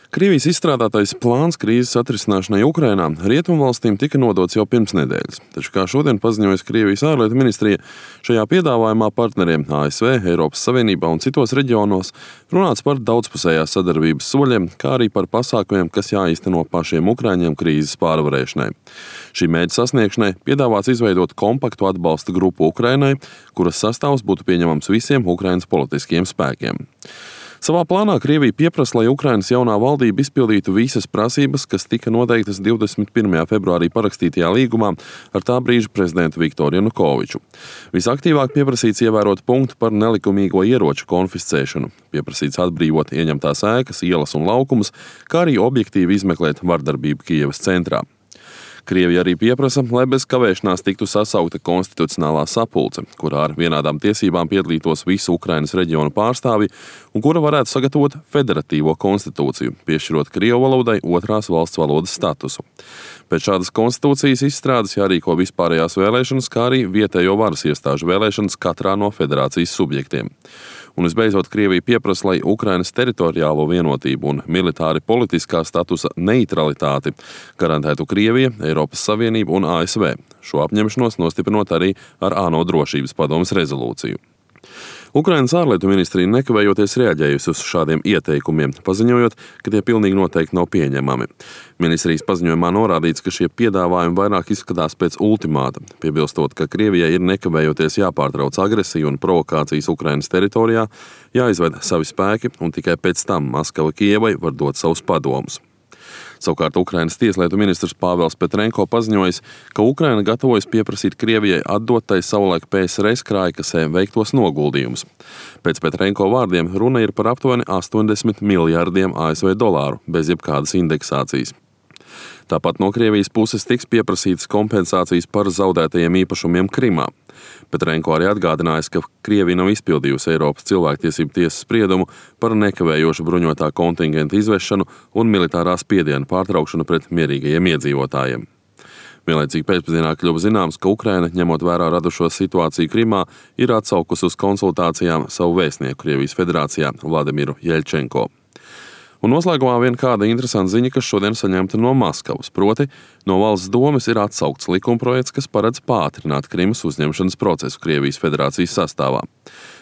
Krievijas izstrādātais plāns krīzes atrisināšanai Ukrainā rietumvalstīm tika nodots jau pirms nedēļas. Taču, kā šodien paziņojas Krievijas ārlietu ministrija, šajā piedāvājumā partneriem ASV, Eiropas Savienībā un citos reģionos runāts par daudzpusējās sadarbības soļiem, kā arī par pasākumiem, kas jāīsteno pašiem ukraiņiem krīzes pārvarēšanai. Šī mērķa sasniegšanai piedāvāts izveidot kompaktu atbalsta grupu Ukrainai, kuras sastāvs būtu pieņemams visiem Ukrainas politiskiem spēkiem. Savā plānā Krievija pieprasa, lai Ukrainas jaunā valdība izpildītu visas prasības, kas tika noteiktas 21. februārī parakstītajā līgumā ar tā brīža prezidentu Viktoru Janukoviču. Visaktīvāk pieprasīts ievērot punktu par nelikumīgo ieroču konfiscēšanu, pieprasīts atbrīvot ieņemtās ēkas, ielas un laukumus, kā arī objektīvi izmeklēt vardarbību Kijevas centrā. Krievija arī pieprasa, lai bez kavēšanās tiktu sasaukta konstitucionālā sapulce, kurā ar vienādām tiesībām piedalītos visu Ukrainas reģionu pārstāvji un kura varētu sagatavot federatīvo konstitūciju, piešķirot krievu valodai otrās valsts valodas statusu. Pēc šādas konstitūcijas izstrādes jārīko vispārējās vēlēšanas, kā arī vietējo varas iestāžu vēlēšanas katrā no federācijas subjektiem. Un visbeidzot, Krievija pieprasa, lai Ukrainas teritoriālo vienotību un militāri politiskā statusa neutralitāti garantētu Krievija, Eiropas Savienība un ASV. Šo apņemšanos nostiprinot arī ar ANO drošības padomes rezolūciju. Ukrainas ārlietu ministrija nekavējoties reaģējusi uz šādiem ieteikumiem, paziņojot, ka tie pilnīgi noteikti nav pieņemami. Ministrijas paziņojumā norādīts, ka šie piedāvājumi vairāk izskatās pēc ultimāta, piebilstot, ka Krievijai ir nekavējoties jāpārtrauc agresija un provokācijas Ukrainas teritorijā, jāizved savi spēki un tikai pēc tam Maskava Kijevai var dot savus padomus. Savukārt Ukrainas tieslietu ministrs Pāvels Petrenko paziņojis, ka Ukraina gatavojas pieprasīt Krievijai atdot tai savulaik PSRS krājkasē veiktos noguldījumus. Pēc Petrenko vārdiem runa ir par aptuveni 80 miljārdiem ASV dolāru bez jebkādas indeksācijas. Tāpat no Krievijas puses tiks pieprasītas kompensācijas par zaudētajiem īpašumiem Krimā. Petrenko arī atgādinājis, ka Krievija nav izpildījusi Eiropas cilvēktiesību tiesas spriedumu par nekavējošu bruņotā kontingenta izvešanu un militārā spiediena pārtraukšanu pret mierīgajiem iedzīvotājiem. Vienlaicīgi pēcpusdienā kļuva zināms, ka Ukraina, ņemot vērā radušo situāciju Krimā, ir atsaukusi uz konsultācijām savu vēstnieku Krievijas federācijā Vladimiru Jeļčenko. Un noslēgumā vien kāda interesanta ziņa, kas šodien saņemta no Maskavas, proti no valsts domes ir atsaukts likumprojekts, kas paredz pātrināt Krimas uzņemšanas procesu Krievijas federācijas sastāvā.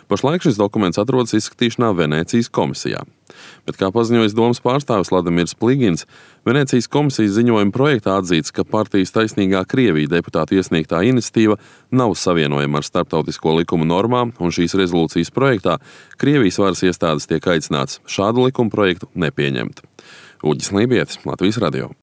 Pašlaik šis dokuments atrodas izskatīšanā Venēcijas komisijā. Bet, kā paziņojis domas pārstāvis Vladimirs Pligins, Venēcijas komisijas ziņojuma projektā atzīts, ka partijas Taisnīgā Krievija deputātu iesniegtā iniciatīva nav savienojama ar starptautisko likumu normām, un šīs rezolūcijas projektā Krievijas varas iestādes tiek aicināts šādu likumu projektu nepieņemt. Uģis Lībietis, Latvijas radio.